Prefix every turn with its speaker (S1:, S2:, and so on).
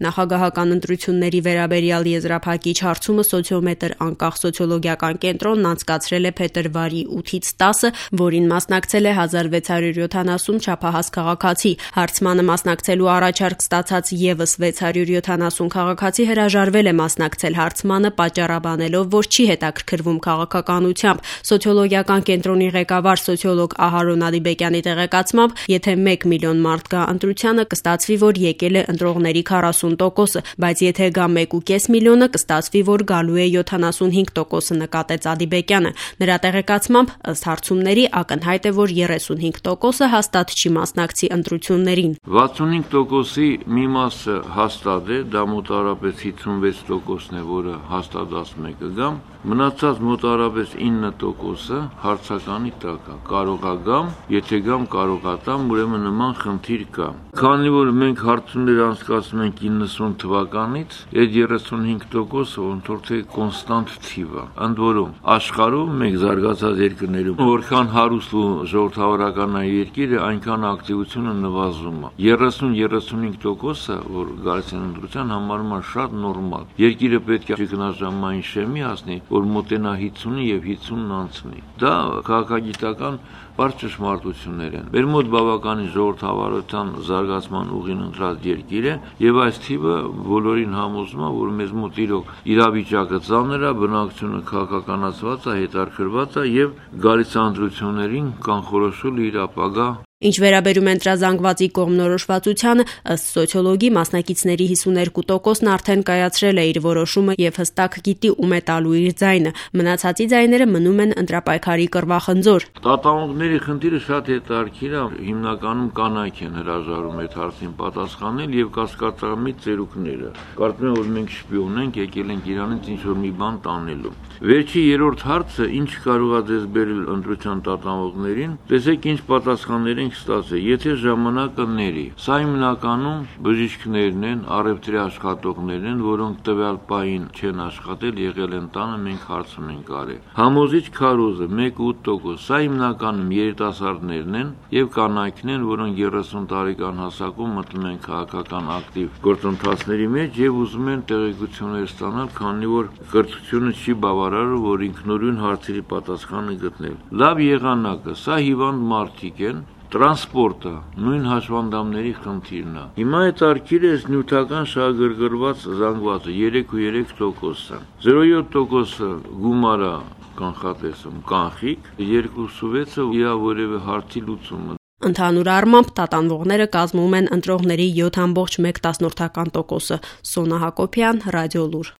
S1: Նախագահական ընտրությունների վերաբերյալ եզրափակիչ հարցումը Սոցիոմետր անկախ սոցիոլոգիական կենտրոնն անցկացրել է փետրվարի 8-ից 10-ը, որին մասնակցել է 1670 չափահաս քաղաքացի։ Հարցմանը մասնակցելու առաջարկ ստացած եւս 670 քաղաքացի հրաժարվել է մասնակցել հարցմանը, պատճառաբանելով, որ չի հետաքրքրվում քաղաքականությամբ։ Սոցիոլոգիական կենտրոնի ղեկավար սոցիոլոգ Ահարոն Ադիբեկյանի տեղեկացմամբ, եթե 1 միլիոն մարդ գա ընտրությանը, կստացվի, որ եկել է ընտրողների 40%-ը, բայց եթե գա 1.5 միլիոնը, կստացվի, որ գալու է 75%-ը, նկատեց Ադիբեկյանը։ Նրա տեղեկացմամբ, ըստ հարցումների, ակնհայտ է, որ 35%-ը հաստատ չի մասնակցի ընտրություններին։
S2: 65%-ի մի մասը հաստատ է, դա մոտավորապես 56%-ն է, որը հաստատ ասում է կգամ, մնացած մոտավորապես 9%-ը հարցականի տակ է, կարող է գամ, եթե գամ կարող է տամ, ուրեմն նման խնդիր կա։ Քանի որ մենք հարցումներ անցկացնում ենք 90 թվականից, այդ 35%-ը ոնց որ թե կոնստանտ թիվ է։ Ընդ որում, աշխարհում մենք զարգացած երկրներում որքան հարուստ ու ժողովրդավարական է երկիրը, այնքան ակտիվությունը նվազում է։ 30-35%-ը, որ գալիս են ընտրության, համարում է շատ նորմալ։ Երկիրը պետք է ճգնաժամային շեմի հասնի, որ մոտենա 50-ի եւ 50-ն անցնի։ Դա քաղաքագիտական բարձր ճշմարտություններ են։ Մեր մոտ բավականին ժողովրդավարության զարգացման ուղին ընտրած երկիր է, եւ այս թիվը բոլորին համոզում է, որ մեզ մոտ իրոք իրավիճակը ծանր է, բնակչությունը քաղաքականացված է, հետաքրքրված է եւ գալիս ընտրություններին կանխորոշել իր ապագա։
S1: Ինչ վերաբերում է ընտրազանգվածի կողմնորոշվածությանը, ըստ սոցիոլոգի, մասնակիցների 52%-ն արդեն կայացրել է իր որոշումը եւ հստակ գիտի ում է տալու իր ձայնը։ Մնացածի ձայները մնում են ընտրապայքարի կռվախնձոր։
S2: Տատանողների խնդիրը շատ հետաքրքիր է, հիմնականում կանայք են հրաժարվում այդ հարցին պատասխանել եւ կասկածամիտ ծերուկները։ Կարծում եմ, որ մենք շպիոն ենք, եկել ենք Իրանից ինչ-որ մի բան տանելու։ Վերջի երրորդ հարցը, ինչ կարող է դες բերել ընտրության տատանողներին, տեսեք ինչ պատասխաններ ենք ստացել, եթե ժամանակը ների։ Սա հիմնականում բժիշկներն են, առևտրի աշխատողներն են, որոնք տվյալ պահին չեն աշխատել, եղել են տանը, մենք հարցում ենք արել։ Համոզիչ քարոզը 1.8%, սա հիմնականում երիտասարդներն են եւ կանայքն են, որոնք 30 տարեկան հասակում մտնում են քաղաքական ակտիվ գործընթացների մեջ եւ ուզում են տեղեկություններ ստանալ, քանի որ կրթությունը չի բավարարում, որ ինքնուրույն հարցերի պատասխանը գտնել։ Լավ եղանակը, սա հիվանդ մարդիկ են, տրանսպորտը, նույն հաշվանդամների խնդիրն է։ Հիմա հետաքրքիր է նյութական շահագրգռված զանգվածը 3.3%-ը, 0.7%-ը գումարը կանխատեսում կանխիկ, 2.6-ը իրա որևէ հարցի լուծումը։
S1: Ընդհանուր առմամբ տատանվողները կազմում են ընտրողների 7.1%-ը։ Սոնա Հակոբյան, Ռադիոլուր։